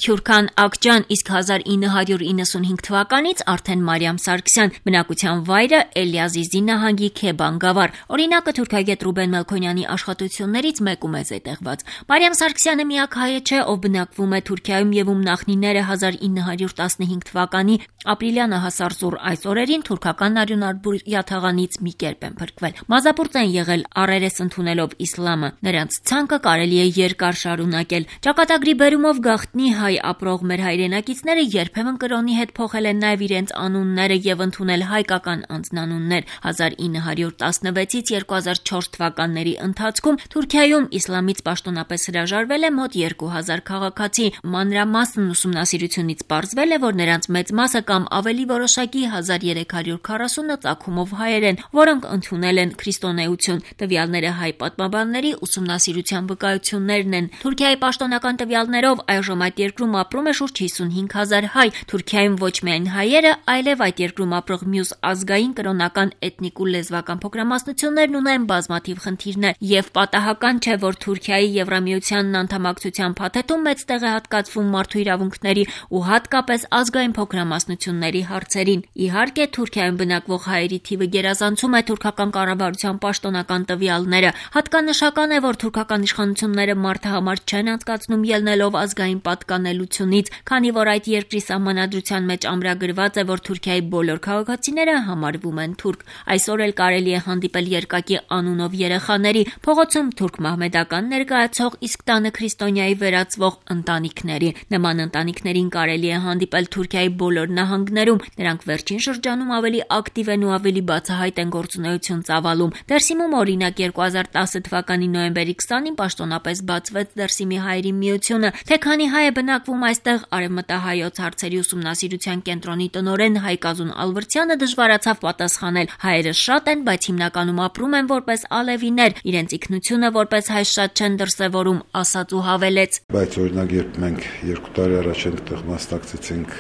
Քյուրքան Ակջան, իսկ 1995 թվականից արդեն Մարիամ Սարգսյան, բնակության վայրը Էլիազիզի նահանգի Քեբան գավառ։ Օրինակը թուրքագետ Ռուբեն Մելքոնյանի աշխատություններից մեկում է զետեղված։ Մարիամ Սարգսյանը միակ հայը չէ, ով բնակվում է Թուրքիայում եւ ում նախնիները 1915 թվականի ապրիլյան հասարսուռ այս օրերին թուրքական արյունարբույրյաթաղանից մի կերպ են փրկվել։ Մազապուրծ են եղել առերես ընդունելով իսլամը։ Նրանց ցանկը կարելի է երկար շարունակել։ Ճակատագրի բերումով գաղտնի հայ ապրող մեր հայրենակիցները երբեմն կրոնի հետ փոխել են նաև իրենց անունները եւ ընդունել հայկական անձնանուններ։ 1916-ից 2004 թվականների ընթացքում Թուրքիայում իսլամից պաշտոնապես հրաժարվել է մոտ 2000 քաղաքացի։ Մանրամասն ուսումնասիրությունից պարզվել է, որ նրանց մեծ մասը կամ ավելի որոշակի 1340 ծագումով հայեր են, որոնք ընդունել են քրիստոնեություն։ Տվյալները հայ պատմաբանների ուսումնասիրության վկայություններն են։ Թուրքիայի պաշտոնական տվյալներով այժմ այդ երկրում ապրում է շուրջ 55,000 հայ։ Թուրքիայում ոչ միայն հայերը, այլև այդ երկրում ապրող մյուս ազգային, կրոնական, էթնիկ ու լեզվական փոքրամասնություններն ունեն բազմաթիվ խնդիրներ, եւ պատահական չէ, որ Թուրքիայի Եվրամիությանն անդամակցության փաթեթում մեծ տեղ է հատկացվում մարդու իրավունքների ու հատկապես ազգային փոքրամասնությունների հարցերին։ Իհարկե, Թուրքիայում բնակվող հայերի թիվը գերազանցում է թուրքական կառավարության պաշտոնական տվյալները։ Հատկանշական է, որ թուրքական իշխանությունները մարդը համար չեն անցկացնում ելնելով ազգային պատկանելությունից, քանի որ այդ երկրի սահմանադրության մեջ ամրագրված է, որ Թուրքիայի բոլոր քաղաքացիները համարվում են թուրք։ Այսօր էլ կարելի է հանդիպել երկակի անունով երեխաների, փողոցում թուրք մահմեդական ներկայացող, իսկ տանը քրիստոնյայի վերածվող ընտանիքների։ Նման ընտանիքներին կարելի է հանդիպել Թուրքիայի բոլոր նահանգներում։ Նրանք վերջին շրջանում ավելի ակտիվ են ու ավելի բացահայտ են գործունեություն ծավալում։ Դերսիմում օրինակ 2010 թվականի նոյեմբերի 20-ին պաշտոնապես բացվեց Դերսիմի հայերի միությունը։ Թե քանի հայ է բնակվում այստեղ, արևմտահայոց հարցերի ուսումնասիրության կենտրոնի տնօրեն Հայկազուն Ալվրդյանը դժվարացավ պատասխանել։ Հայերը շատ են, բայց հիմնականում ապրում են որպես ալևիներ, իրենց ինքնությունը որպես հայ շատ չեն դրսևորում, ասաց ու հավելեց. Բայց օրինակ երբ մենք 2 տարի առաջ այնտեղ մասնակցեցինք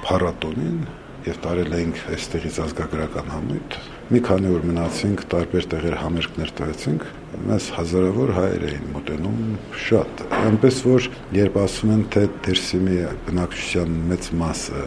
փառատոնին եւ տարել էինք այստեղից ազգագրական համույթ, մի քանի օր մնացինք, տարբեր տեղեր համերգներ տվեցինք, մեզ հազարավոր հայեր էին մոտենում, շատ։ Այնպես որ երբ ասում են, թե Դերսիմի բնակչության մեծ մասը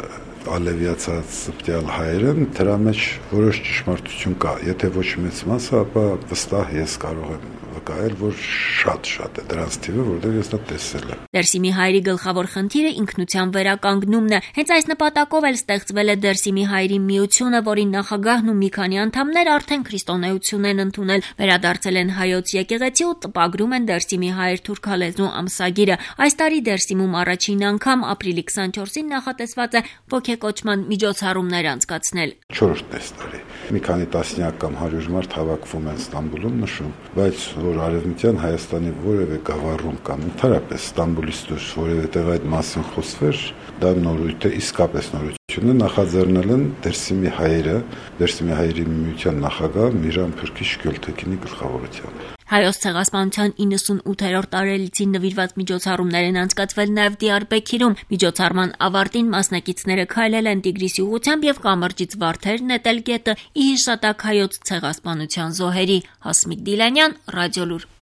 ալևիացած սպտյալ հայեր են, դրա մեջ որոշ ճշմարտություն կա։ Եթե ոչ մեծ մասը, ապա վստահ ես կարող եմ վկայել, որ շատ է դրանց թիվը, որտեղ ես դա տեսել եմ։ Դերսիմի հայերի գլխավոր խնդիրը ինքնության վերականգնումն է։ Հենց այս նպատակով էլ ստեղծվել է Դերսիմի հայերի միությունը, որի նախագահն ու մի քանի անդամներ արդեն քրիստոնեություն են ընդունել, վերադարձել են հայոց եկեղեցի ու տպագրում են Դերսիմի հայեր թուրքալեզու ամսագիրը։ Այս տարի Դերսիմում առաջին անգամ ապրիլի 24-ին նախատեսված է ոգեկոչման միջոցառումներ անցկացնել։ 4-րդ տարի մի քանի տասնյակ կամ 100 մարդ հավաքվում են Ստամբուլում նշում, բայց որ արևմտյան Հայաստանի որևէ գավառում կամ ընդհանրապես Ստամբուլից դուրս որևէ տեղ այդ մասին խոսվեր, դա նորույթ է, իսկապես նորություն է, նախաձեռնել են Դերսիմի հայերը, Դերսիմի հայերի միության նախագահ Միրան Փրկիչ Գյոլթեկինի գլխավորությամբ։ Հայոց ցեղասպանության 98-րդ տարելիցին նվիրված միջոցառումներ են անցկացվել նաև Դիարբեքիրում։ Միջոցառման ավարտին մասնակիցները քայլել են Տիգրիսի ուղղությամբ եւ կամրջից վարդեր նետել գետը՝ ի հիշատակ հայոց ցեղասպանության զոհերի։ Հասմիկ Դիլանյան, Ռադիոլուր։